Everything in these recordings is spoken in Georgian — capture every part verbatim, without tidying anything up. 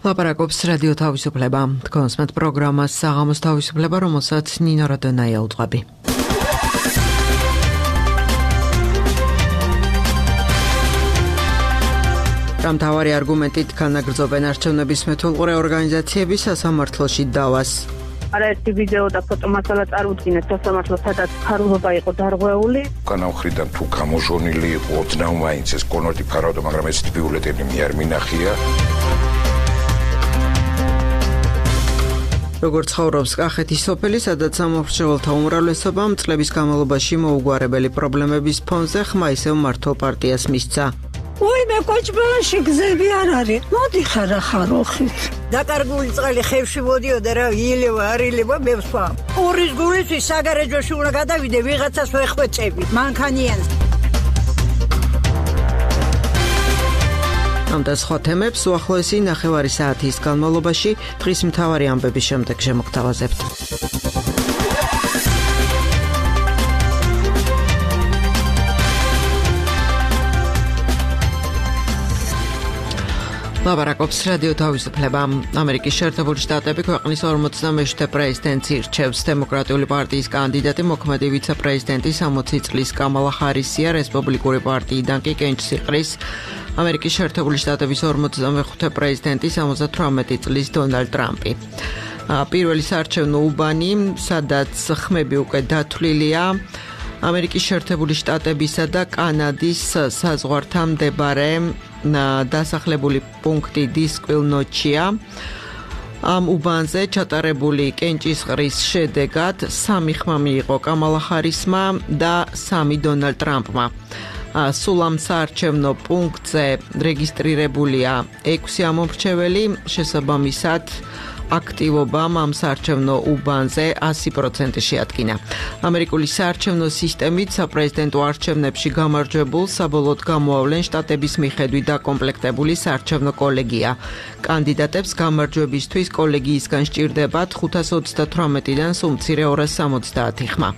ლაპარაკობს რადიო თავისუფლება. თქვენს მათ პროგრამას საღამოს თავისუფლება, რომელსაც ნინო რადონაია უძღვები. მთავარი არგუმენტით განაგრძობენ არჩევნების მეთვალყურე ორგანიზაციები სასამართლოში დავას. არაერთი ვიდეო და ფოტომასალა წარუდგინეს სასამართლოს, სადაც ფარულობა იყო დარღვეული. განავრიდან თუ გამოჟონილი იყო ოდნავ მაინც ეს კონვერტი ფარავდა, მაგრამ ეს ბიულეტენი მე არ მინახია. როგორც ცხოვრობს კახეთის სოფელი, სადაც სამომრჩეველთა უმრავლესობამ წლების განმავლობაში მოუგვარებელი პრობლემების ფონზე ხმა ისევ მართლ პარტიას მისცა. უიმე კოჭბალაში გზები არ არის. მოდი ხარა ხაროხით. დაკარგული წყალი ხევში მოდიოდა რა, ილევა, არ ილევა, მე ვსვა. ორის გულისთვის საგარეჯოში უნდა გადავიდე, ვიღაცას ვეხვეწები. მანქანიანს. ამ და სხვა თემებს უახლოესი ნახევარი საათის განმავლობაში დღის მთავარი ამბების შემდეგ შემოგთავაზებთ. ლაპარაკობს რადიო თავისუფლება. ამერიკის შეერთებული შტატები ქვეყნის ორმოცდამეშვიდე პრეზიდენტს ირჩევს. დემოკრატიული პარტიის კანდიდატი მოქმედი ვიცე-პრეზიდენტი სამოცი წლის კამალა ჰარისია, რესპუბლიკური პარტიიდან კი კენჭს იყრის ამერიკის შეერთებული შტატების ორმოცდამეხუთე პრეზიდენტი სამოცდათვრამეტი წლის დონალდ ტრამპი. პირველი საარჩევნო უბანი, სადაც ხმები უკვე დათვლილია, ამერიკის შეერთებული შტატებისა და კანადის საზღვართან მდებარე დასახლებული პუნქტი დისკვილნოჩია. ამ უბანზე ჩატარებული კენჭისყრის შედეგად სამი ხმა მიიღო კამალა ჰარისმა და სამი დონალდ ტრამპმა. სულ ამ საარჩევნო პუნქტზე რეგისტრირებულია ექვსი ამომრჩეველი, შესაბამისად აქტივობამ ამ საარჩევნო უბანზე ასი პროცენტი შეადგინა. ამერიკული საარჩევნო სისტემით საპრეზიდენტო არჩევნებში გამარჯვებულ საბოლოოდ გამოავლენ შტატების მიხედვით დაკომპლექტებული საარჩევნო კოლეგია. კანდიდატებს გამარჯვებისთვის კოლეგიისგან სჭირდებათ ხუთას ოცდათვრამეტიდან სულ მცირე ორას სამოცდაათი ხმა.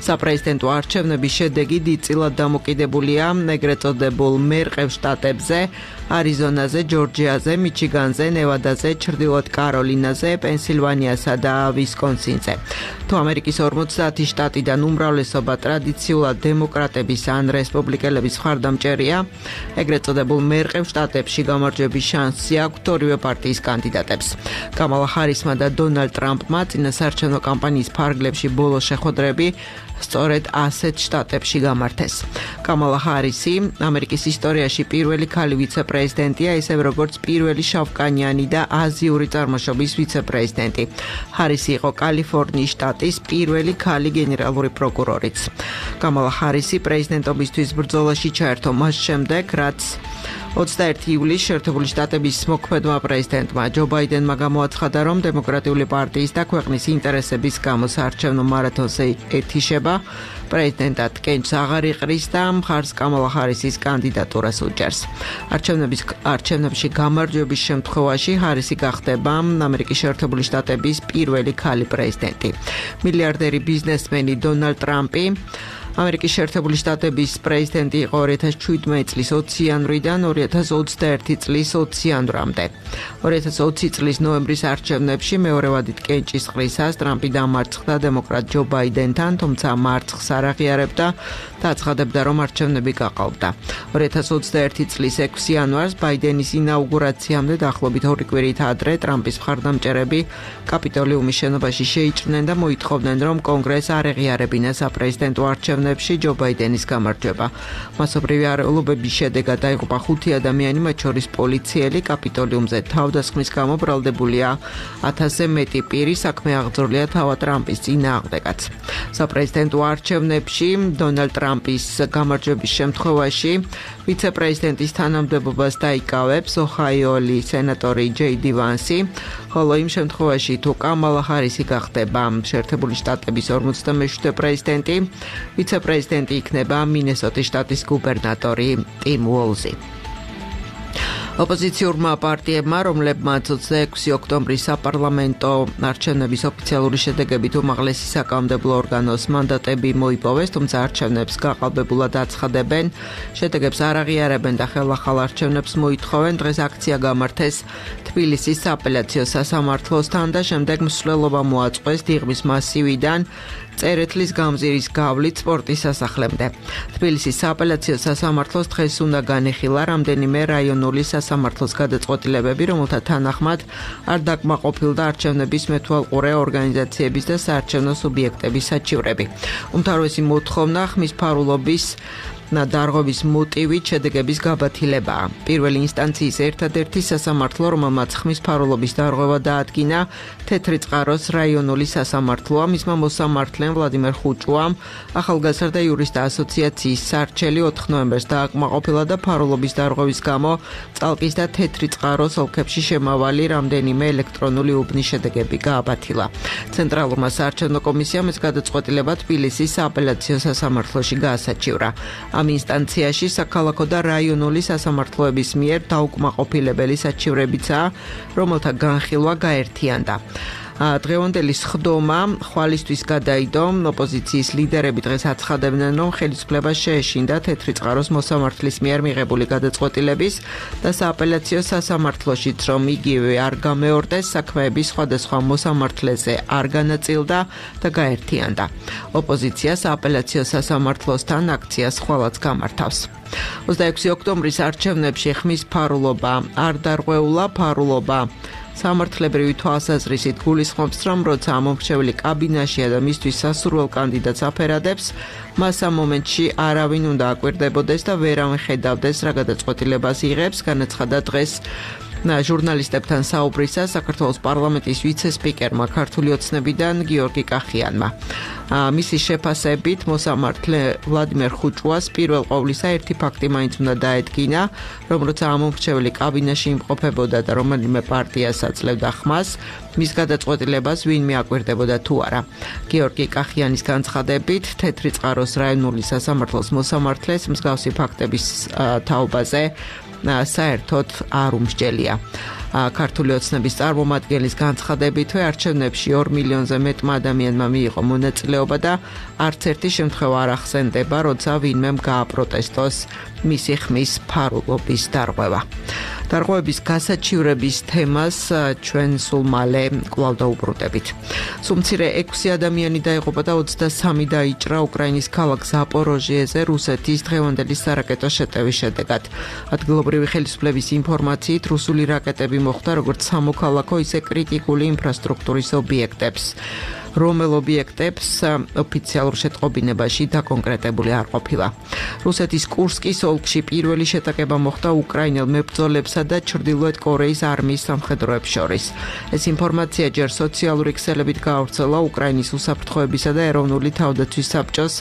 საპრეზიდენტო არჩევნების შედეგი დიდწილად დამოკიდებულია ეგრეთ წოდებულ მერყევ შტატებზე, არიზონაზე, ჯორჯიაზე, მიჩიგანზე, ნევადაზე, ჩრდილოეთ კაროლინაზე, პენსილვანიასა და ვისკონსინზე. თუ ამერიკის ორმოცდაათი შტატიდან უმრავლესობა ტრადიციულად დემოკრატების ან რესპუბლიკელების მხარდამჭერია, ეგრეთ წოდებულ მერყევ შტატებში გამარჯვების შანსი აქვთ ორივე პარტიის კანდიდატებს. კამალა ჰარისმა და დონალდ ტრამპმა წინასაარჩევნო კამპანიის ფარგლებში ბოლო შეხვედრები სწორედ ასეთ შტატებში გამართეს. კამალა ჰარისი ამერიკის ისტორიაში პირველი ქალი ვიცე-პრეზიდენტია, ისევ როგორც პირველი შავკანიანი და აზიური წარმოშობის ვიცე-პრეზიდენტი. ჰარისი იყო კალიფორნიის შტატის პირველი ქალი გენერალური პროკურორიც. კამალა ჰარისი პრეზიდენტობისთვის ბრძოლაში ჩაერთო მას შემდეგ, რაც ოცდაერთი ივლისს შეერთებული შტატების მოქმედმა პრეზიდენტმა ჯო ბაიდენმა გამოაცხადა, რომ დემოკრატიული პარტიის და ქვეყნის ინტერესების გამო საარჩევნო მარათონზე ეთიშება, პრეზიდენტად კენჭს აღარ იყრის და მხარს კამალა ჰარისის კანდიდატურას უჭერს. არჩევნების არჩევნებში გამარჯვების შემთხვევაში ჰარისი გახდება ამერიკის შეერთებული შტატების პირველი ქალი პრეზიდენტი. მილიარდერი ბიზნესმენი დონალდ ტრამპი ამერიკის შეერთებული შტატების პრეზიდენტი იყო ორი ათას შვიდმეტი წლის ოცი იანვრიდან ორი ათას ოცდაერთი წლის ოცი იანვრამდე. ორი ათას ოცი წლის ნოემბრის არჩევნებში მეორე ვადით კენჭისყრისას ტრამპი დამარცხდა დემოკრატ ჯო ბაიდენთან, თუმცა მარცხს არ აღიარებდა და აცხადებდა, რომ არჩევნები გაყალბდა. ორი ათას ოცდაერთი წლის ექვსი იანვარს ბაიდენის ინაუგურაციამდე დაახლოებით ორი კვირით ადრე ტრამპის მხარდამჭერები კაპიტოლიუმის შენობაში შეიჭრნენ და მოითხოვდნენ, რომ კონგრესს არ ეღიარებინა საპრეზიდენტო არჩევნებში ჯო ბაიდენის გამარჯვება. მასობრივი არეულობების შედეგად დაიღუპა ხუთი ადამიანი, მათ შორის პოლიციელი. კაპიტოლიუმზე თავდასხმის გამო ბრალდებულია ათასზე მეტი პირი, საქმე აღძრულია თავად ტრამპის წინააღმდეგაც. საპრეზიდენტო არჩევნებში დონალდ ტრამპის გამარჯვების შემთხვევაში ვიცე-პრეზიდენტის თანამდებობას დაიკავებს ოჰაიოელი სენატორი ჯეი დი ვანსი, ხოლო იმ შემთხვევაში თუ კამალა ჰარისი გახდება შეერთებული შტატების ორმოცდამეშვიდე პრეზიდენტი, ვიცე-პრეზიდენტი იქნება მინესოტის შტატის გუბერნატორი ტიმ უოლზი. ოპოზიციურმა პარტიებმა, რომლებმაც ოცდაექვსი ოქტომბრის საპარლამენტო არჩევნების ოფიციალური შედეგებით უმაღლესი საკანონმდებლო ორგანოს მანდატები მოიპოვეს, თუმცა არჩევნებს გაყალბებულად აცხადებენ, შედეგებს არ აღიარებენ და ხელახალ არჩევნებს მოითხოვენ. დღეს აქცია გამართეს თბილისის სააპელაციო სასამართლოსთან და შემდეგ მსვლელობა მოაწყვეს დიღმის მასივიდან წერეთლის გამზირის გავლით სპორტის სასახლემდე. თბილისის სააპელაციო სასამართლოს დღეს უნდა განეხილა რამდენიმე რაიონული სასამართლოს გადაწყვეტილებები, რომელთა თანახმად არ დაკმაყოფილდა არჩევნების მეთვალყურე ორგანიზაციების და საარჩევნო სუბიექტების საჩივრები. უმთავრესი მოთხოვნა ხმის ფარულობის დარღვევის მოტივით შედეგების გაბათილებაა. პირველი ინსტანციის ერთადერთი სასამართლო, რომელმაც ხმის ფარულობის დარღვევა დაადგინა, თეთრი წყაროს რაიონული სასამართლოა. მისმა მოსამართლემ ვლადიმერ ხუჭუამ ახალგაზრდა იურისტთა ასოციაციის სარჩელი ოთხ ნოემბერს დააკმაყოფილა და ფარულობის დარღვევის გამო წალკის და თეთრი წყაროს ოლქებში შემავალი რამდენიმე ელექტრონული უბნის შედეგები გააბათილა. ცენტრალურმა საარჩევნო კომისიამ ეს გადაწყვეტილება თბილისის სააპელაციო სასამართლოში გაასაჩივრა. ამ ინსტანციაში საქალაქო და რაიონული სასამართლოების მიერ დაუკმაყოფილებელი საჩივრებიცაა, რომელთა განხილვა გაერთიანდა. დღევანდელი სხდომა ხვალისთვის გადაიდო. ოპოზიციის ლიდერები დღეს აცხადებდნენ, რომ ხელისუფლება შეეშინდა თეთრი წყაროს მოსამართლის მიერ მიღებული გადაწყვეტილების და სააპელაციო სასამართლოშიც, რომ იგივე არ გამეორდეს, საქმეები სხვადასხვა მოსამართლეზე არ განაწილდა და გაერთიანდა. ოპოზიცია სააპელაციო სასამართლოსთან აქციას ხვალაც გამართავს. ოცდაექვსი ოქტომბრის არჩევნებში ხმის ფარულობა არ დარღვეულა. ფარულობა სამართლებრივი თვალსაზრისით გულისხმობს, რომ როცა ამომრჩეველი კაბინაშია და მისთვის სასურველ კანდიდატს აფერადებს, მას ამ მომენტში არავინ უნდა აკვირდებოდეს და ვერავინ ხედავდეს, რა გადაწყვეტილებას იღებს, განაცხადა დღეს ჟურნალისტებთან საუბრისას საქართველოს პარლამენტის ვიცე-სპიკერმა ქართული ოცნებიდან გიორგი კახიანმა. მისი შეფასებით მოსამართლე ვლადიმერ ხუჭუას პირველ ყოვლისა ერთი ფაქტი მაინც უნდა დაედგინა, რომ როცა ამომრჩეველი კაბინაში იმყოფებოდა და რომელიმე პარტიას აძლევდა ხმას, მის გადაწყვეტილებას ვინმე აკვირდებოდა თუ არა. გიორგი კახიანის განცხადებით, თეთრი წყაროს რაიონული სასამართლოს მოსამართლეს მსგავსი ფაქტების თაობაზე საერთოდ არ უმსჯელია. ქართული ოცნების წარმომადგენლის განცხადებითვე არჩევნებში ორ მილიონზე მეტმა ადამიანმა მიიღო მონაწილეობა და არც ერთი შემთხვევა არ ახსენდება, როცა ვინმემ გააპროტესტოს მისი ხმის ფარულობის დარღვევა. დარღვევების გასაჩივრების თემას ჩვენ სულ მალე კვლავ დაუბრუნდებით. სულ-მცირე ექვსი ადამიანი დაიღუპა და ოცდასამი დაიჭრა უკრაინის ქალაქ ზაპოროჟიეზე რუსეთის დღევანდელი სარაკეტო შეტევის შედეგად. ადგილობრივი ხელისუფლების ინფორმაციით, რუსული რაკეტები მოხვდა როგორც სამოქალაქო, ისე კრიტიკული ინფრასტრუქტურის ობიექტებს. რომელ ობიექტებს ოფიციალურ შეტყობინებაში დაკონკრეტებული არ ყოფილა. რუსეთის კურსკის ოლქში პირველი შეტაკება მოხდა უკრაინელ მებრძოლებსა და ჩრდილოეთ კორეის არმიის სამხედროებს შორის. ეს ინფორმაცია ჯერ სოციალური ქსელებით გაავრცელა უკრაინის უსაფრთხოებისა და ეროვნული თავდაცვის საბჭოს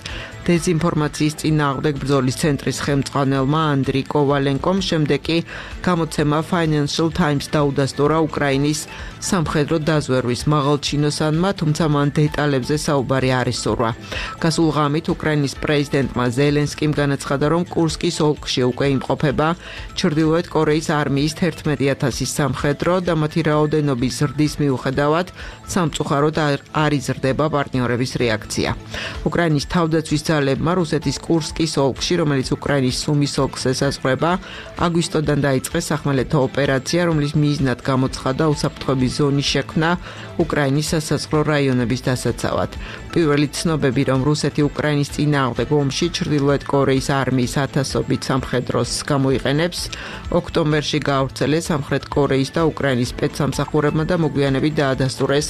დეზინფორმაციის წინააღმდეგ ბრძოლის ცენტრის ხელმძღვანელმა ანდრი კოვალენკომ, შემდეგ კი გამოცემა Financial Times დაუდასტურა უკრაინის სამხედრო დაზვერვის მაღალჩინოსანმა, თუმცა მან დეტალებზე საუბარი არ ისურვა. გასულ ღამით უკრაინის პრეზიდენტმა ზელენსკიმ განაცხადა, რომ კურსკის ოლქში უკვე იმყოფება ჩრდილოეთ კორეის არმიის თერთმეტი ათასის სამხედრო და მათი რაოდენობის ზრდის მიუხედავად სამწუხაროდ არ იზრდება პარტნიორების რეაქცია. უკრაინის თავდაცვის ძალებმა რუსეთის კურსკის ოლქში, რომელიც უკრაინის სუმის ოლქს ესაზღვრება, აგვისტოდან დაიწყეს სახმელეთო ოპერაცია, რომლის მიზნად გამოცხადა უსაფრთხოების ზონის შექმნა უკრაინის სასაზღვრო რაიონების დასაცავად. პირველი ცნობები, რომ რუსეთი უკრაინის წინააღმდეგ ომში ჩრდილოეთ კორეის არმიის ათასობით სამხედროს გამოიყენებს, ოქტომბერში გაავრცელეს სამხრეთ კორეის და უკრაინის სპეცსამსახურებმა და მოგვიანებით დაადასტურეს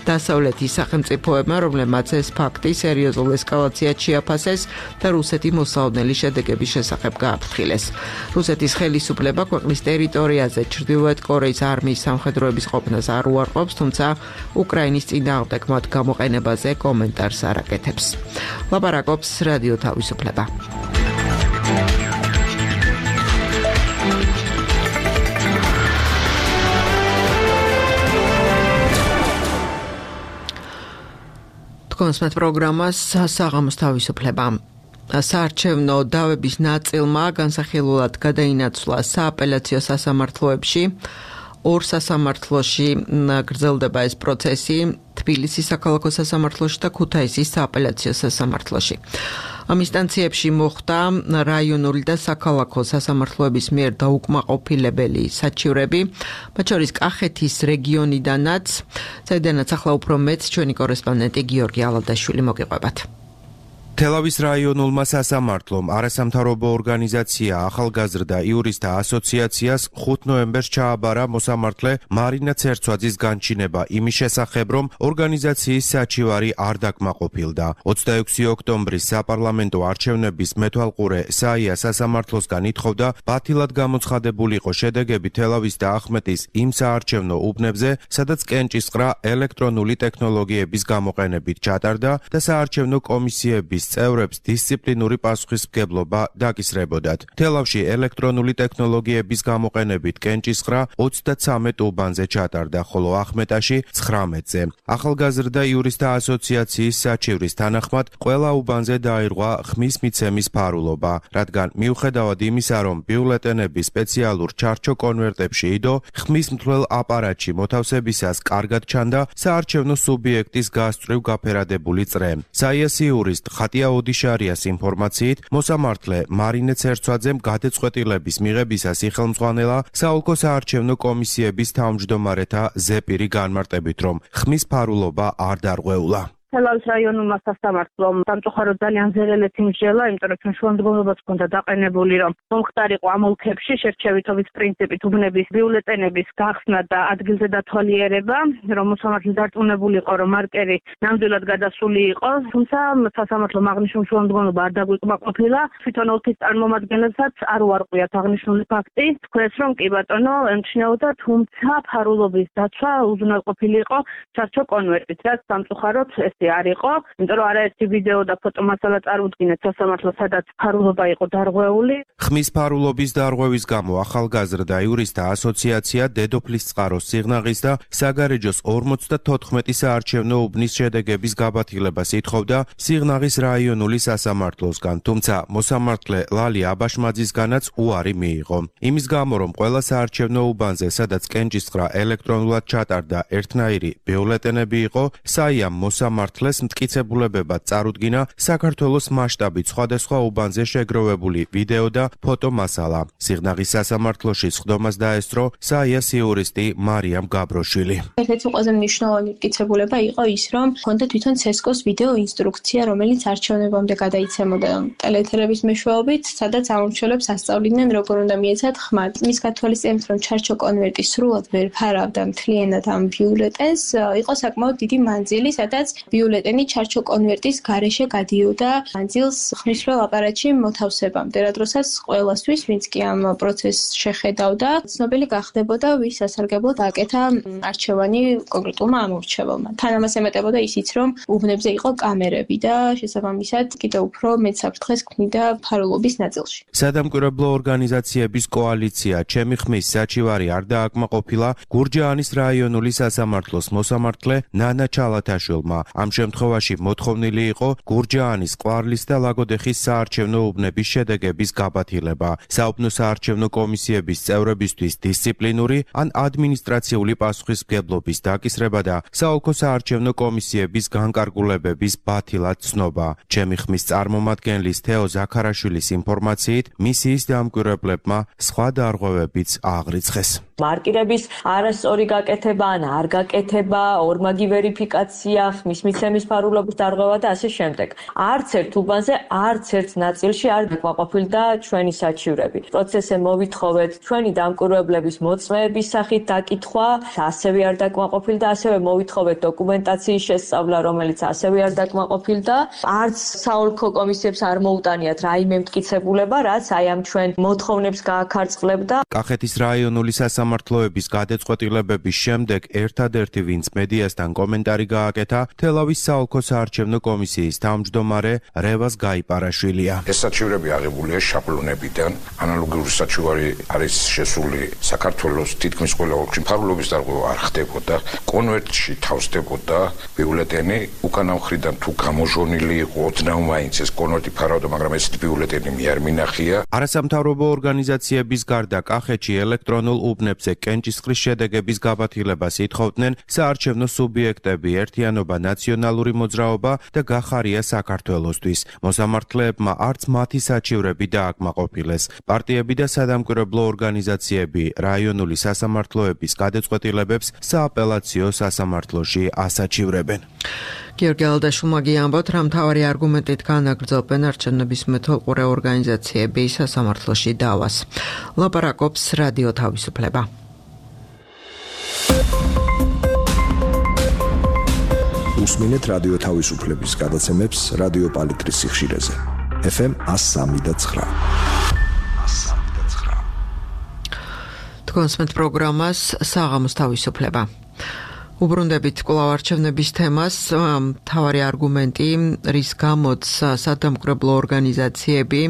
დასავლეთის სახელმწიფოებმა, რომლებმაც ეს ფაქტი სერიოზულ ესკალაციად შეაფასეს და რუსეთი მოსალოდნელი შედეგების შესახებ გააფრთხილეს. რუსეთის ხელისუფლება ქვეყნის ტერიტორიაზე ჩრდილოეთ კორეის არმიის სამხედროების ყოფნას არ უარყოფს, თუმცა უკრაინის წინააღმდეგ მათ გამოყენებაზე კომენტარს არ აკეთებს. ლაპარაკობს რადიო თავისუფლება. კონსმეთ პროგრამას საღამოს თავისუფლება. საარჩევნო დავების ნაწილმა განსახილულად გადაინაცვლა სააპელაციო სასამართლოებში. ორ სასამართლოში გრძელდება ეს პროცესი, თბილისის საქალაქო სასამართლოში და ქუთაისის სააპელაციო სასამართლოში. ამ ინსტანციებში მოხდა რაიონული და საქალაქო სასამართლოების მიერ დაუკმაყოფილებელი საჩივრები, მათ შორის კახეთის რეგიონიდანაც, საიდანაც ახლა უფრო მეტ ჩვენი კორესპონდენტი გიორგი ალადაშვილი მოგიყვებათ. თელავის რაიონულმა სასამართლომ არასამთავრობო ორგანიზაცია ახალგაზრდა იურისტთა ასოციაციას ხუთი ნოემბერს ჩააბარა მოსამართლე მარინა ცერცვაძის განჩინება იმის შესახებ, რომ ორგანიზაციის საჩივარი არ დაკმაყოფილდა. ოცდაექვსი ოქტომბრის საპარლამენტო არჩევნების მეთვალყურე საია სასამართლოსგან ითხოვდა ბათილად გამოცხადებულიყო შედეგები თელავის და ახმეტის იმ საარჩევნო უბნებზე, სადაც კენჭისყრა ელექტრონული ტექნოლოგიების გამოყენებით ჩატარდა და საარჩევნო კომისიების წევრებს დისციპლინური პასუხისმგებლობა დაკისრებოდათ. თელავში ელექტრონული ტექნოლოგიების გამოყენებით კენჭისყრა ოცდაცამეტ უბანზე ჩატარდა, ხოლო ახმეტაში ცხრამეტზე. ახალგაზრდა იურისტთა ასოციაციის საჩივრის თანახმად ყველა უბანზე დაირღვა ხმის მიცემის ფარულობა, რადგან მიუხედავად იმისა, რომ ბიულეტენები სპეციალურ ჩარჩო კონვერტებში იდო, ხმის მთლელ აპარატში მოთავსებისას კარგად ჩანდა საარჩევნო სუბიექტის გასწვრივ გაფერადებული წრე. საიას იურისტ ხატია ოდიშარიას ინფორმაციით, მოსამართლე მარინე ცერცვაძემ გადაწყვეტილების მიღებისას იხელმძღვანელა საოლქო საარჩევნო კომისიების თავმჯდომარეთა ზეპირი განმარტებით, რომ ხმის ფარულობა არ დარღვეულა. თელავის რაიონულმა სასამართლომ სამწუხაროდ ძალიან ზერელეთი მსჯელა, იმიტომ რომ ჩვენ შუამდგომლობაც ჰქონდა დაყენებული, რომ მომხდარიყო ამ ოლქებში შერჩევითობის პრინციპით უბნების ბიულეტენების გახსნა და ადგილზე დათვალიერება, რომ მოსამართლე დარწმუნებული იყო, რომ მარკერი ნამდვილად გადასული იყო, თუმცა სასამართლომ აღნიშნულ შუამდგომლობა არ დაგვიკმაყოფილა, თვითონ ოლქის წარმომადგენლებსაც არ უარყვიათ აღნიშნული ფაქტი, თქვენს რომ კი ბატონო ემჩნეოდა, თუმცა ფარულობის დაცვა უზრუნველყოფილი იყო ჩარჩო კონვერტით, რაც სამწუხაროდ ეს არ იყო, იმიტომ რომ არაერთი ვიდეო და ფოტო მასალა წარუდგინეთ სასამართლოს, სადაც ფარულობა იყო დარღვეული. ხმის ფარულობის დარღვევის გამო ახალგაზრდა იურისტთა ასოციაცია დედოფლის წყაროს სიღნაღის და საგარეჯოს ორმოცდათოთხმეტი საარჩევნო უბნის შედეგების გაბათილებას ითხოვდა სიღნაღის რაიონული სასამართლოსგან, თუმცა მოსამართლე ლალი აბაშმაძისგანაც უარი მიიღო. იმის გამო, რომ ყველა საარჩევნო უბანზე, სადაც კენჭისყრა ელექტრონულად ჩატარდა, ერთნაირი ბიულეტენები იყო, საიამ მოსამართლე მართლეს მტკიცებულებებად წარუდგინა საქართველოს მასშტაბით სხვადასხვა უბანზე შეგროვებული ვიდეო და ფოტო მასალა. სიღნაღის სასამართლოში სხდომას დაესწრო საიას იურისტი მარიამ გაბროშვილი. ერთ-ერთი ყველაზე მნიშვნელოვანი მტკიცებულება იყო ის, რომ ჰქონდა თვითონ ცესკოს ვიდეო ინსტრუქცია, რომელიც არჩევნებამდე გადაიცემოდა ტელეეთერების მეშვეობით, სადაც ამომრჩევლებს ასწავლიდნენ, როგორ უნდა მიეცათ ხმა. მის გათვალისწინებით, რომ ჩარჩო კონვერტი სრულად ვერ ფარავდა მთლიანად ამ ბიულეტენს, იყო საკმაოდ დიდი მანძილი, სადაც ბიულეტენი ჩარჩო კონვერტის გარეშე გადიოდა მანძილს ხმისმრელ აპარატში მოთავსებამდე, რა დროსაც ყველასთვის, ვინც კი ამ პროცესს შეხედავდა, ცნობილი გახდებოდა, ვის სასარგებლოდ აკეთა არჩევანი კონკრეტულმა ამორჩეველმა. თან ამას ემატებოდა ისიც, რომ უბნებზე იყო კამერები და შესაბამისად კიდევ უფრო მეტ საფრთხეს ქმნიდა ფარულობის ნაწილში. სადამკვირვებლო ორგანიზაციების კოალიცია ჩემი ხმის საჩივარი არ დააკმაყოფილა გურჯაანის რაიონული სასამართლოს მოსამართლე ნანა ჩალათაშვილმა. ამ შემთხვევაში მოთხოვნილი იყო გურჯაანის, ყვარლის და ლაგოდეხის საარჩევნო უბნების შედეგების გაბათილება. საუბნო საარჩევნო კომისიების წევრებისთვის დისციპლინური ან ადმინისტრაციული პასუხისმგებლობის დაკისრება და საოლქო საარჩევნო კომისიების განკარგულებების ბათილად ცნობა. ჩემი ხმის წარმომადგენლის თეო ზაქარაშვილის ინფორმაციით, მისიის დამკვირვებლებმა სხვა დარღვევებიც აღრიცხეს. მარკირების არასწორი გაკეთება ან არ გაკეთება, ორმაგი ვერიფიკაცია, ხმის მიცემის ფარულობის დარღვევა და ასე შემდეგ. არც ერთ უბანზე, არც ერთ ნაწილში არ დაკმაყოფილდა ჩვენი საჩივრები. პროცესზე მოვითხოვეთ ჩვენი დამკვირვებლების მოწმეების სახით დაკითხვა, ასევე არ დაკმაყოფილდა, ასევე მოვითხოვეთ დოკუმენტაციის შესწავლა, რომელიც ასევე არ დაკმაყოფილდა. არც საოლქო კომისიებს არ მოუტანიათ რაიმე მტკიცებულება, რაც აი ამ ჩვენ მოთხოვნებს გააქარწყლებდა. კახეთის რაიონული სასამართლო სასამართლოების გადაწყვეტილებების შემდეგ ერთადერთი ვინც მედიასთან კომენტარი გააკეთა თელავის საოლქო საარჩევნო კომისიის თავმჯდომარე რევაზ გაიპარაშვილია. ეს საჩივრები აღებულია შაბლონებიდან. ანალოგიური საჩივარი არის შესული საქართველოს თითქმის ყველა ოლქში. მფარველობის დარღვევა არ ხდებოდა. კონვერტში თავსდებოდა ბიულეტენი. უკანა მხრიდან თუ გამოჟონილი იყო ოდნავ მაინც ეს კონვერტი ფარავდა, მაგრამ ეს ბიულეტენი მე არ მინახია. არასამთავრობო ორგანიზაციების გარდა კახეთში ელექტრონულ უბნებზე კენჭისყრის შედეგების გაბათილებას ითხოვდნენ საარჩევნო სუბიექტები, ერთიანობა, ნაციონალური მოძრაობა და გახარია საქართველოსთვის. მოსამართლეებმა არც მათი საჩივრები დააკმაყოფილეს. პარტიები და სადამკვირვებლო ორგანიზაციები რაიონული სასამართლოების გადაწყვეტილებებს სააპელაციო სასამართლოში ასაჩივრებენ. გიორგი ალდაშვილმა გიამბოთ, რომ მთავარი არგუმენტით განაგრძობენ არჩევნების მეთვალყურე ორგანიზაციები სასამართლოში დავას. ლაპარაკობს რადიო თავისუფლება. უსმინეთ რადიო თავისუფლების გადაცემებს რადიო პალიტრის სიხშირეზე. ეფ ემ one oh three point nine. თქვენს მეტ პროგრამას საღამოს თავისუფლება. უბრუნდებით კვლავ არჩევნების თემას, მთავარი არგუმენტი, რის გამოც სადამკვირვებლო ორგანიზაციები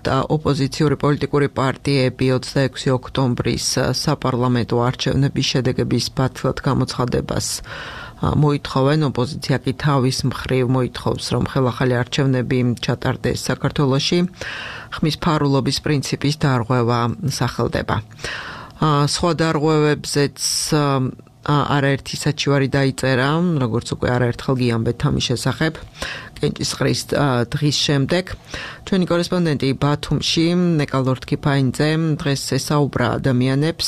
და ოპოზიციური პოლიტიკური პარტიები ოცდაექვსი ოქტომბრის საპარლამენტო არჩევნების შედეგების ბათილად გამოცხადებას მოითხოვენ. ოპოზიცია კი თავის მხრივ მოითხოვს, რომ ხელახალი არჩევნები ჩატარდეს საქართველოში. ხმის ფარულობის პრინციპის დარღვევა სახელდება. სხვა დარღვევებზეც არაერთი საჩივარი დაიწერა, როგორც უკვე არაერთხელ გიამბეთ ამის შესახებ. კენჭისყრის დღის შემდეგ ჩვენი კორესპონდენტი ბათუმში ნეკა ლორთქიფაინძე დღეს ესაუბრა ადამიანებს,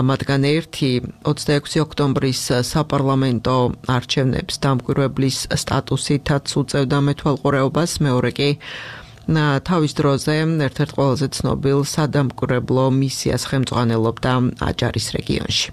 მათგან ერთი ოცდაექვსი ოქტომბრის საპარლამენტო არჩევნებს დამკვირვებლის სტატუსითაც უწევდა მეთვალყურეობას, მეორე კი თავის დროზე ერთ-ერთ ყველაზე ცნობილ სადამკვირვებლო მისიას ხელმძღვანელობდა აჭარის რეგიონში.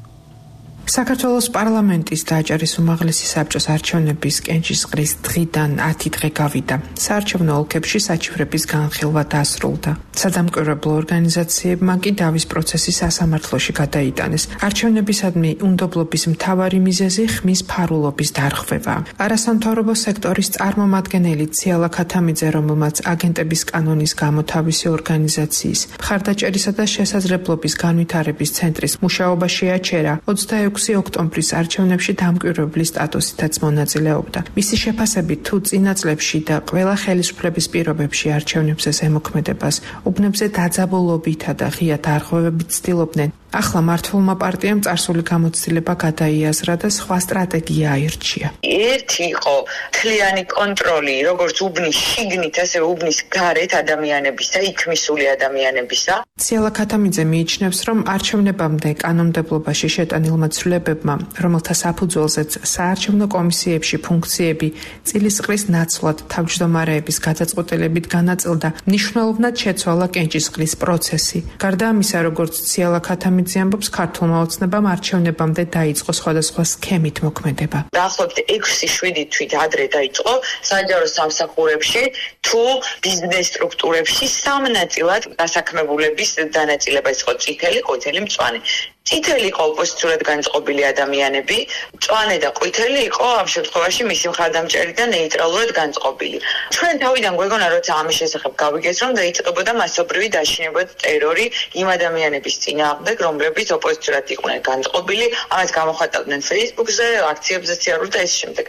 საქართველოს პარლამენტის და აჭარის უმაღლესი საბჭოს არჩევნების კენჭისყრის დღიდან ათი დღე გავიდა. საარჩევნო ოლქებში საჩივრების განხილვა დასრულდა. სადამკვირვებლო ორგანიზაციებმა კი დავის პროცესი სასამართლოში გადაიტანეს. არჩევნებისადმი უნდობლობის მთავარი მიზეზი ხმის ფარულობის დარღვევა. არასამთავრობო სექტორის წარმომადგენელი ციალა ქათამიძე, რომელმაც აგენტების კანონის გამო თავისი ორგანიზაციის მხარდაჭერისა და შესაძლებლობის განვითარების ცენტრის მუშაობა შეაჩერა, ოცდაექვსი ოქტომბრის არჩევნებში დამკვირვებლის სტატუსითაც მონაწილეობდა. მისი შეფასებით, თუ წინა წლებში და ყველა ხელისუფლების პირობებში არჩევნებზე ზემოქმედებას უბნებზე დაძაბულობითა და ღია დარღვევებით ცდილობდნენ, ახლა მართლმა პარტიამ წარსული გამოცდილება გადაიაზრა და სხვა სტრატეგია აირჩია. ერთი იყო თლიანი კონტროლი, როგორც უბნის შიგნით, ასევე უბნის გარეთ ადამიანებისა, იქ მისული ადამიანებისა. ციალა ქათამიძე მიიჩნევს, რომ არჩევნებამდე კანონმდებლობაში შეტანილმა ცვლილებებმა, რომელთა საფუძველზეც საარჩევნო კომისიებში ფუნქციები წილისყრის ნაცვლად თავმჯდომარეების გადაწყვეტილებით განაწილდა, მნიშვნელოვნად შეცვალა კენჭისყრის პროცესი. გარდა ამისა, როგორც ციალა ქათამიძე ამბობს, ქართულმა ოცნებამ არჩევნებამდე დაიწყო სხვადასხვა სქემით მოქმედება. დაახლოებით ექვსი შვიდი თვით ადრე დაიწყო საჯარო სამსახურებში თუ ბიზნეს სტრუქტურებში სამ ნაწილად დასაქმებულების დანაწილება იყო წითელი, ყვითელი, მწვანე. წითელი იყო ოპოზიციურად განწყობილი ადამიანები, მწვანე და ყვითელი იყო ამ შემთხვევაში მისი მხარდამჭერი და ნეიტრალურად განწყობილი. ჩვენ თავიდან გვეგონა, როცა ამის შესახებ გავიგეთ, რომ დაიწყებოდა მასობრივი დაშინება და ტერორი იმ ადამიანების წინააღმდეგ, რომლებიც ოპოზიციურად იყვნენ განწყობილი, ამას გამოხატავდნენ Facebook-ზე, აქციებზე სიარული და ეს შემდეგ.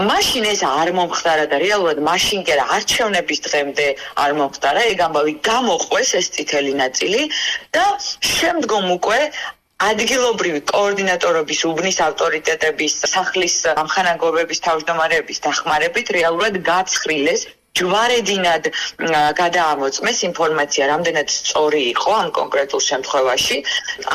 მაშინ ეს არ მომხდარა და რეალურად მაშინ კი არა, არჩევნების დღემდე არ მომხდარა, ეგ ამბავი გამოყვეს ეს წითელი ნაწილი და შემდგომ უკვე ადგილობრივი კოორდინატორობის, უბნის ავტორიტეტების, სახლის ამხანაგობების თავმჯდომარეების დახმარებით რეალურად გაცხრილეს, ჯვარედინად გადაამოწმეს ინფორმაცია, რამდენად სწორი იყო ამ კონკრეტულ შემთხვევაში.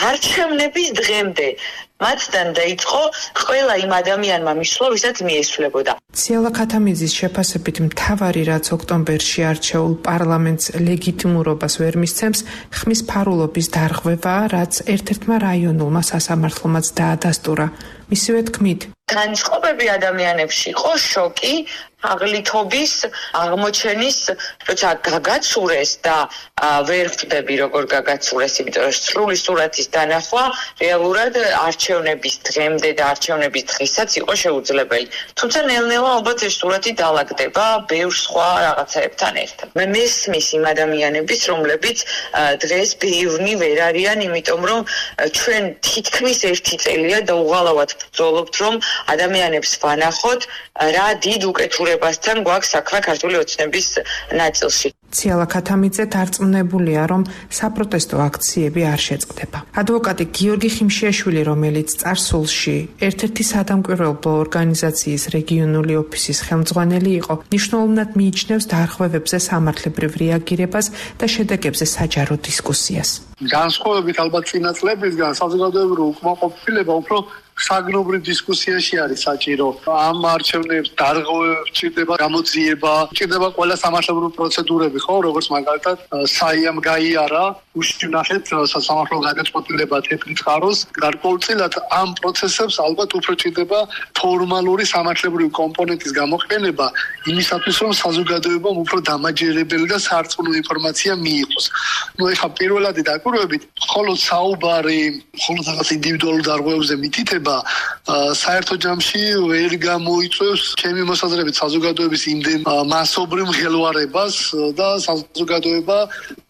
არჩევნების დღემდე მათთან დაიწყო ყველა იმ ადამიანმა მისვლა, ვისაც მიესვლებოდა. ციალა ქათამიძის შეფასებით მთავარი, რაც ოქტომბერში არჩეულ პარლამენტს ლეგიტიმურობას ვერ მისცემს, ხმის ფარულობის დარღვევაა, რაც ერთ-ერთმა რაიონულმა სასამართლომაც დაადასტურა. მისივე თქმით, განწყობები ადამიანებში იყო შოკი, აღლითობის აღმოჩენის, როცა გაგაცურეს და ვერ ხვდები როგორ გაგაცურეს, იმიტომ რომ სრული სურათის დანახვა რეალურად არჩევნების დღემდე და არჩევნების დღესაც იყო შეუძლებელი. თუმცა ნელ-ნელა ალბათ ეს სურათი დაალაგდება ბევრ სხვა რაღაცაებთან ერთად. მე მესმის იმ ადამიანების, რომლებიც დღეს ბევრნი ვერ არიან, იმიტომ რომ ჩვენ თითქმის ერთი წელია და უღალავად ბრძოლობთ, რომ ადამიანებს ვანახოთ, რა დიდ უკეთურებასთან გვაქვს საქმე ქართული ოცნების ნაწილში. ციალა ქათამიძე დარწმუნებულია, რომ საპროტესტო აქციები არ შეწყდება. ადვოკატი გიორგი ხიმშიაშვილი, რომელიც წარსულში ერთ-ერთი სადამკვირვებლო ორგანიზაციის რეგიონული ოფისის ხელმძღვანელი იყო, მნიშვნელოვნად მიიჩნევს დარღვევებზე სამართლებრივ რეაგირებას და შედეგებზე საჯარო დისკუსიას. განსხვავებით ალბათ წინა წლებისგან საზოგადოებრივი უკმაყოფილება უფრო საგნობრივ დისკუსიაში არის საჭირო. ამ არჩევნებს დარღვევებს ჭირდება გამოძიება, ჭირდება ყველა სამართლებრივი პროცედურები, ხო, როგორც მაგალითად საიამ გაიარა, უშინახეთ სასამართლო გადაწყვეტილება თეთრი წყაროს. გარკვეულწილად ამ პროცესებს ალბათ უფრო ჭირდება ფორმალური სამართლებრივი კომპონენტის გამოყენება, იმისათვის რომ საზოგადოებამ უფრო დამაჯერებელი და სარწმუნო ინფორმაცია მიიღოს. ნუ ეხლა პირველადი დაკვირვებით, მხოლოდ საუბარი, მხოლოდ რაღაც ინდივიდუალურ დარღვევებზე მითითება საერთო ჯამში ვერ გამოიწვევს ჩემი მოსაზრებით საზოგადოების იმდენ მასობრივ მღელვარებას და საზოგადოება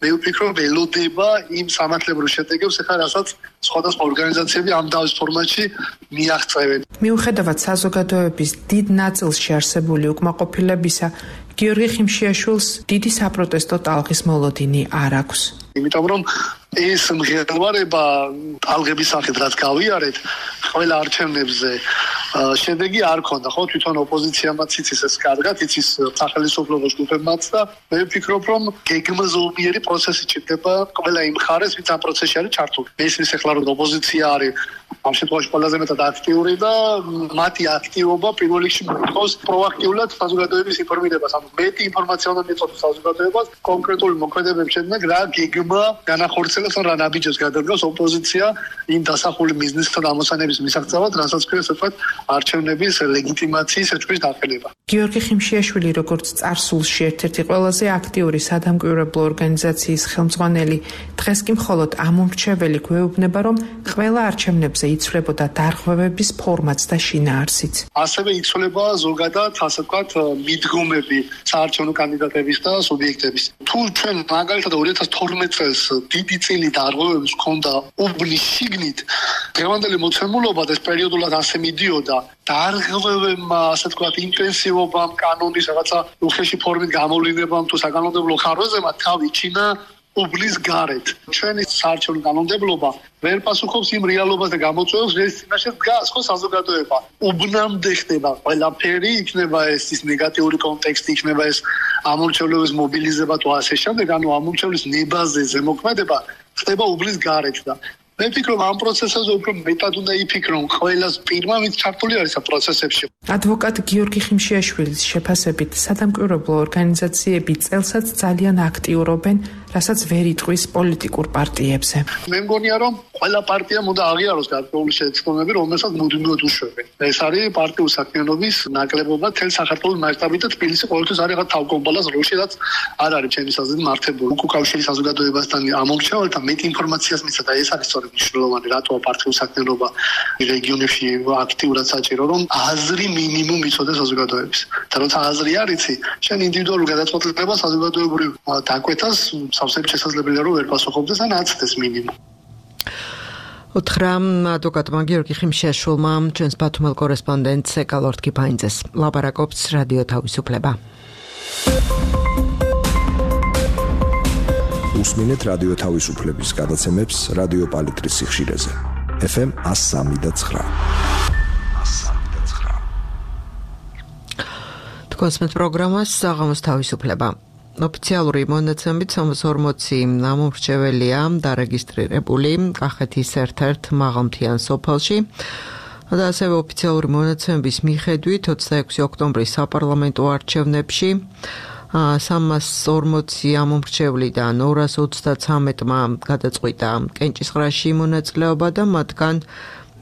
მე ვფიქრობ ელოდება იმ სამართლებრივ შედეგებს, ახლა რასაც სხვადასხვა ორგანიზაციები ამ დავის ფორმატში მიაღწევენ. მიუხედავად საზოგადოების დიდ ნაწილში არსებული უკმაყოფილებისა, გიორგი ხიმშიაშვილს დიდი საპროტესტო ტალღის მოლოდინი არ აქვს. იმიტომ რომ ეს მღელვარება ტალღების სახით რაც გავიარეთ ყველა არჩევნებზე შედეგი არ ქონდა, ხო, თვითონ ოპოზიციამაც იცის ეს კარგად, იცის სახელმწიფო ჯგუფებმაც და მე ვფიქრობ, რომ გეგმაზომიერი პროცესი ჭირდება ყველა იმ მხარეს, ვინც ამ პროცესში არის ჩართული. მესმის ახლა რომ ოპოზიცია არის ამ შემთხვევაში ყველაზე მეტად აქტიური და მათი აქტივობა პირველ რიგში მოითხოვს პროაქტიულად საზოგადოების ინფორმირებას. ანუ მეტი ინფორმაცია უნდა მიეწოდოს საზოგადოებას კონკრეტული მოქმედებების შედეგად, რა გეგმა განახორციელებს ან რა ნაბიჯებს გადადგას ოპოზიცია იმ დასახული მიზნისთან ამოსანების მისაღწევად, რასაც ქვია თქვათ არჩევნების ლეგიტიმაციის ეჭვის დაყენება. გიორგი ხიმშიაშვილი, როგორც წარსულში ერთ-ერთი ყველაზე აქტიური სადამკვირვებლო ორგანიზაციის ხელმძღვანელი, დღეს კი მხოლოდ ამომრჩეველი გვეუბნება, რომ ყველა არჩევნებზე იცვლებოდა დარღვევების ფორმატს და შინაარსიც. ასევე იცვლება ზოგადად, ასე ვთქვათ, მიდგომები საარჩევნო კანდიდატების და სუბიექტების. თუ ჩვენ მაგალითად ორი ათას თორმეტ წელს დიდი წილი დარღვევების ჰქონდა უბნის შიგნით, დღევანდელი მოცემულობა და ეს პერიოდულად ასე მიდიოდა, დარღვევებმა, ასე ვთქვათ, ინტენსივობამ, კანონის რაღაცა უხეში ფორმით გამოვლინებამ თუ საკანონმდებლო ხარვეზებმა თავი ჩინა უბნის გარეთ. ჩვენი საარჩევნო კანონმდებლობა ვერ პასუხობს იმ რეალობას და გამოწვევებს, რის წინაშე დგას ხო საზოგადოება. უბნამდე ხდება ყველაფერი, იქნება ეს ის ნეგატიური კონტექსტი, იქნება ეს ამორჩევლების მობილიზება თუ ასე შემდეგ, ანუ ამორჩევლის ნებაზე ზემოქმედება ხდება უბნის გარეთ და მე ვფიქრობ, ამ პროცესებზე უფრო მეტად უნდა იფიქრონ ყველას პირმა, ვინც ჩართული არის ამ პროცესებში. ადვოკატ გიორგი ხიმშიაშვილის შეფასებით, სადამკვირვებლო ორგანიზაციები წელსაც ძალიან აქტიურობენ, რასაც ვერ იტყვის პოლიტიკურ პარტიებზე. მე მგონია, რომ ყველა პარტიამ უნდა აღიაროს გარკვეული შეცდომები, რომელსაც მუდმივად უშვებენ. ეს არის პარტიული საქმიანობის ნაკლებობა თელ საქართველოს მასშტაბით და თბილისი ყოველთვის არის რაღაც თავკომპალას როლში, რაც არ არის ჩემი აზრით მართებული. უკავშირი საზოგადოებასთან ამორჩეველთა მეტ ინფორმაციას მისცა და ეს არის სწორედ მნიშვნელოვანი, რატოა პარტიული საქმიანობა რეგიონებში აქტიურად საჭირო, რომ აზრი მინიმუმ იცოდეს საზოგადოების. და როცა აზრი არ იცი, შენ ინდივიდუალურ გადაწყვეტილებას საზოგადოებრივ დაკვეთას სავსებით შესაძლებელია რომ ვერ პასუხობდეს ან აცდეს მინიმუმ. უთხრა ადვოკატმა გიორგი ხიმშიაშვილმა ჩვენს ბათუმელ კორესპონდენტს ეკალორდ კიფაინძეს. ლაპარაკობს რადიო თავისუფლება. უსმინეთ რადიო თავისუფლების გადაცემებს რადიო პალიტრის სიხშირეზე. ეფ ემ one oh three და nine. თქვენს პროგრამას საღამოს თავისუფლება. ოფიციალური მონაცემებით სამას ორმოცი ამომრჩეველია დარეგისტრირებული კახეთის ერთ-ერთ მაღალმთიან სოფელში. და ასევე ოფიციალური მონაცემების მიხედვით ოცდაექვსი ოქტომბრის საპარლამენტო არჩევნებში სამას ორმოცი ამომრჩევლიდან ორას ოცდათრამეტმა გადაწყვიტა კენჭისყრაში მონაწილეობა და მათგან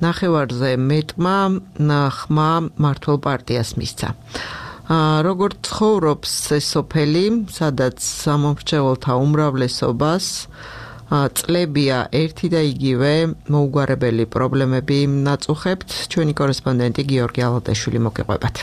ნახევარზე მეტმა ხმა მართლ პარტიას მისცა. როგორც ცხოვრობს ეს სოფელი, სადაც სამომრჩეველთა უმრავლესობას წლებია ერთი და იგივე მოუგვარებელი პრობლემები ნაწუხებთ. ჩვენი კორესპონდენტი გიორგი ალადაშვილი მოგიყვებათ.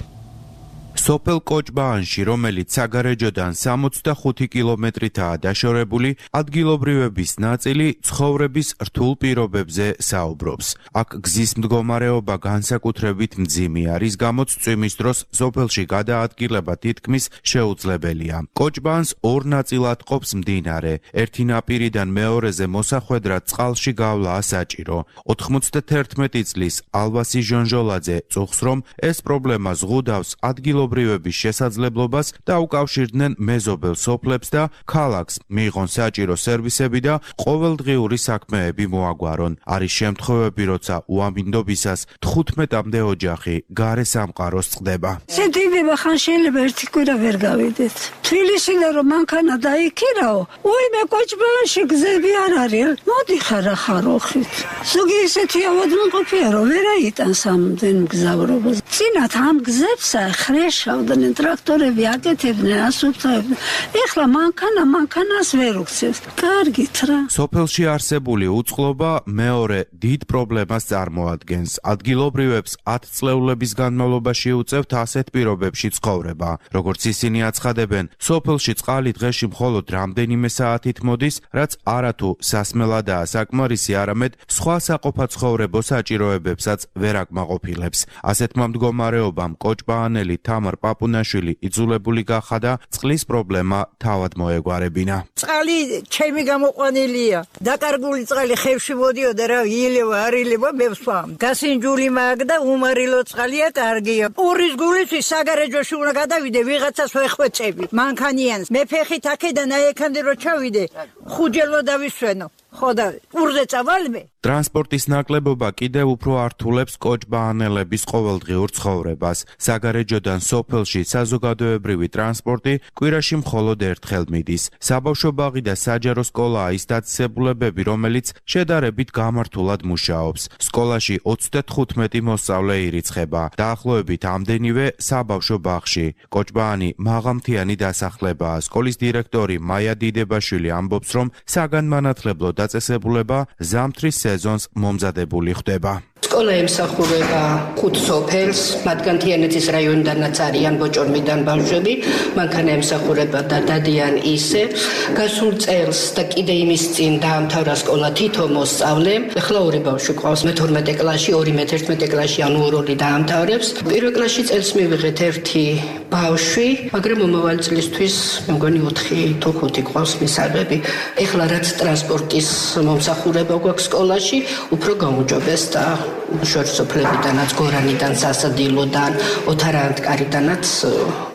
სოფელ კოჭბაანში, რომელიც საგარეჯოდან სამოცდახუთი კილომეტრითაა დაშორებული, ადგილობრივების ნაწილი ცხოვრების რთულ პირობებზე საუბრობს. აქ გზის მდგომარეობა განსაკუთრებით მძიმეა, რის გამოც წვიმის დროს სოფელში გადაადგილება თითქმის შეუძლებელია. კოჭბაანს ორ ნაწილად ყოფს მდინარე. ერთი ნაპირიდან მეორეზე მოსახვედრად წყალში გავლაა საჭირო. ოთხმოცდათერთმეტი წლის ალვასი ჟონჟოლაძე წუხს, რომ ეს პრობლემა ზღუდავს ადგილობრივ ბრიების შესაძლებლობას და უკავშირდნენ მეზობელ სოფლებს და ქალაქს მიიღონ საჭირო სერვისები და ყოველდღიური საქმეები მოაგვარონ. არის შემთხვევები, როცა უამინდობისას თხუთმეტამდე ოჯახი გარე სამყაროს წყდება. შედიდება ხან შეიძლება ერთი კვირა ვერ გავიდეთ. თბილისიდან რომ მანქანა დაიქირაო, უიმე კოჭბაანში გზები არ არის. მოდი ხარ ახაროხით. ზოგი ისეთი ავადმყოფია, რომ ვერ აიტანს ამდენ მგზავრობას. წინათ ამ გზებსა ხრეშ შავდნენ ტრაქტორები აკეთებდნენ ასუფთავებდნენ. ეხლა მანქანა მანქანას ვერ უქცევს. კარგით რა. სოფელში არსებული უწყლობა მეორე დიდ პრობლემას წარმოადგენს. ადგილობრივებს ათწლეულების განმავლობაში უწევთ ასეთ პირობებში ცხოვრება. როგორც ისინი აცხადებენ, სოფელში წყალი დღეში მხოლოდ რამდენიმე საათით მოდის, რაც არათუ სასმელადაა საკმარისი, არამედ სხვა საყოფაცხოვრებო საჭიროებებსაც ვერ აკმაყოფილებს. ასეთმა მდგომარეობამ კოჭბაანელი თამარ პაპუნაშვილი იძულებული გახადა წყლის პრობლემა თავად მოეგვარებინა. წყალი ჩემი გამოყვანილია. დაკარგული წყალი ხევში მოდიოდა რა, ილევა არ ილევა მევსვამ. გასინჯული მაგ და უმარილო წყალია კარგია. პურის გულისთვის საგარეჯოში უნდა გადავიდე, ვიღაცას ვეხვეწები. მანქანიანს მე ფეხით აქედან აიქამდე რო ჩავიდე, ხუჯელო დავისვენო. ხოდა პურზე წავალმე. ტრანსპორტის ნაკლებობა კიდევ უფრო ართულებს კოჭბაანელების ყოველდღიურ ცხოვრებას. საგარეჯოდან სოფელში საზოგადოებრივი ტრანსპორტი კვირაში მხოლოდ ერთხელ მიდის. საბავშვო ბაღი და საჯარო სკოლაა ის დაწესებულებები, რომელიც შედარებით გამართულად მუშაობს. სკოლაში ოცდათხუთმეტი მოსწავლე ირიცხება, დაახლოებით ამდენივე საბავშვო ბაღში. კოჭბაანი მაღალმთიანი დასახლებაა. სკოლის დირექტორი მაია დიდებაშვილი ამბობს, რომ საგანმანათლებლო დაწესებულება ზამთრის სეზონს მომზადებული ხდება. სკოლა ემსახურება ხუთ სოფელს, მათგან თიანეთის რაიონიდანაც არიან ბოჭორმიდან ბავშვები, მანქანა ემსახურება და დადიან ისე. გასულ წელს და კიდე იმის წინ დაამთავრა სკოლა თითო მოსწავლე. ეხლა ორი ბავშვი ყავს, მეთორმეტე კლასში, ორი მეთერთმეტე კლასში, ანუ ორ-ორი დაამთავრებს. პირველ კლასში წელს მივიღეთ ერთი ბავშვი, მაგრამ მომავალ წლისთვის მე მგონი ოთხი თუ ხუთი ყავს მისაღები. ეხლა რაც ტრანსპორტის მომსახურება გვაქვს სკოლაში, უფრო გაუმჯობეს და შორსოფლებიდანაც, გორანიდან, სასადილოდან, ოთარანტკარიდანაც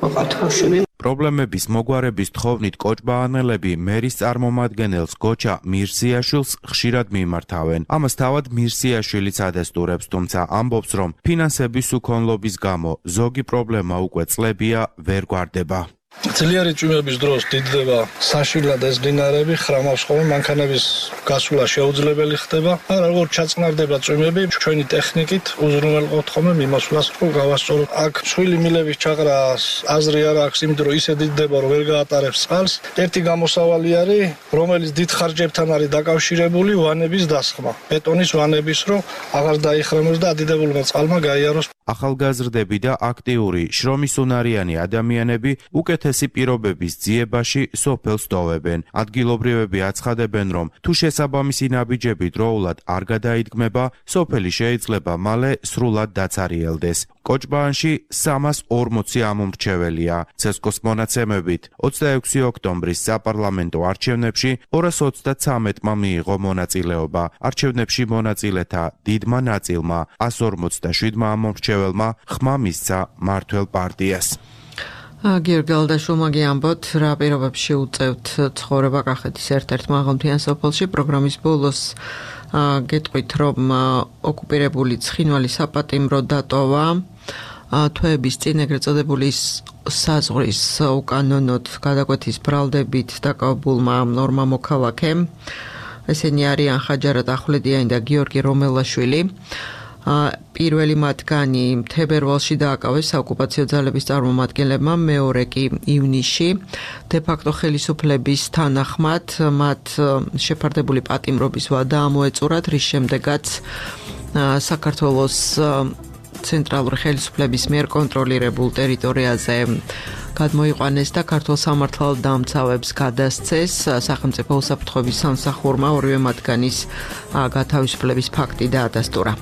მოყავთ ბავშვები. პრობლემების მოგვარების თხოვნით კოჭბაანელები მერის წარმომადგენელს გოჩა მირსიაშვილს ხშირად მიმართავენ. ამას თავად მირსიაშვილიც ადესტურებს, თუმცა ამბობს, რომ ფინანსების უქონლობის გამო ზოგი პრობლემა უკვე წლებია ვერ გვარდება. ძლიერი წვიმების დროს დიდდება საშვილად ეს მდინარეები, ხრამავს ხოლმე, მანქანების გასვლა შეუძლებელი ხდება. მაგრამ როგორ ჩაწყნარდება წვიმები, ჩვენი ტექნიკით უზრუნველყოფთ ხოლმე მიმოსვლას, რომ გავასწოროთ. აქ მსხვილი მილების ჩაყრას აზრი არ აქვს, იმ დრო ისე დიდდება, რომ ვერ გაატარებს წყალს. ერთი გამოსავალი არის, რომელიც დიდ ხარჯებთან არის დაკავშირებული ვანების დასხმა. ბეტონის ვანების, რომ აღარ დაიხრემოს და ადიდებულმა წყალმა გაიაროს. ახალგაზრდები და აქტიური შრომისუნარიანი ადამიანები უკეთესი პირობების ძიებაში სოფელს ტოვებენ. ადგილობრივები აცხადებენ, რომ თუ შესაბამისი ნაბიჯები დროულად არ გადაიდგმება, სოფელი შეიძლება მალე სრულად დაცარიელდეს. კოჭბაანში სამას ორმოცი ამომრჩეველია. ცესკოს მონაცემებით ოცდაექვსი ოქტომბრის საპარლამენტო არჩევნებში ორას ოცდათრამეტმა მიიღო მონაწილეობა. არჩევნებში მონაწილეთა დიდმა ნაწილმა ას ორმოცდაშვიდმა ამომრჩეველმა ხმა მისცა მართლ პარტიას. გიორგი ალადაშვილმა ამბობთ, რა პირობებში უწევთ ცხოვრება კახეთის ერთ-ერთ მაღალმთიან სოფელში. პროგრამის ბოლოს გეტყვით, რომ ოკუპირებული ცხინვალი საპატიმრო დატოვა. თვეების წინ ეგრეთ წოდებული საზღვრის უკანონოდ გადაკვეთის ბრალდებით დაკავებულმა ორმა მოქალაქემ, ესენი არიან ხაჯარად ახვლედიანი და გიორგი რომელაშვილი, პირველი მათგანი თებერვალში დააკავეს საოკუპაციო ძალების წარმომადგენლებმა, მეორე კი ივნისში. დე-ფაქტო ხელისუფლების თანახმად მათ შეფარდებული პატიმრობის ვადა ამოეწურათ, რის შემდეგაც საქართველოს ცენტრალური ხელისუფლების მიერ კონტროლირებულ ტერიტორიაზე გადმოიყვანეს და ქართულ სამართალდამცავებს გადასცეს სახელმწიფო უსაფრთხოების სამსახურმა ორივე მათგანის გათავისუფლების ფაქტი დაადასტურა.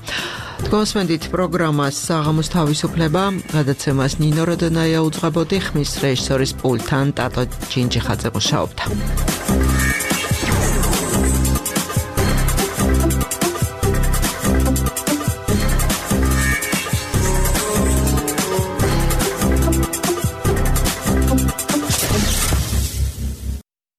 თქვენსმენდით პროგრამას საღამოს თავისუფლება, გადაცემას ნინო როდონაია უძღვებოდი, ხმის რეჟისორის პულტთან ტატო ჯინჯიხაძე მუშაობდა.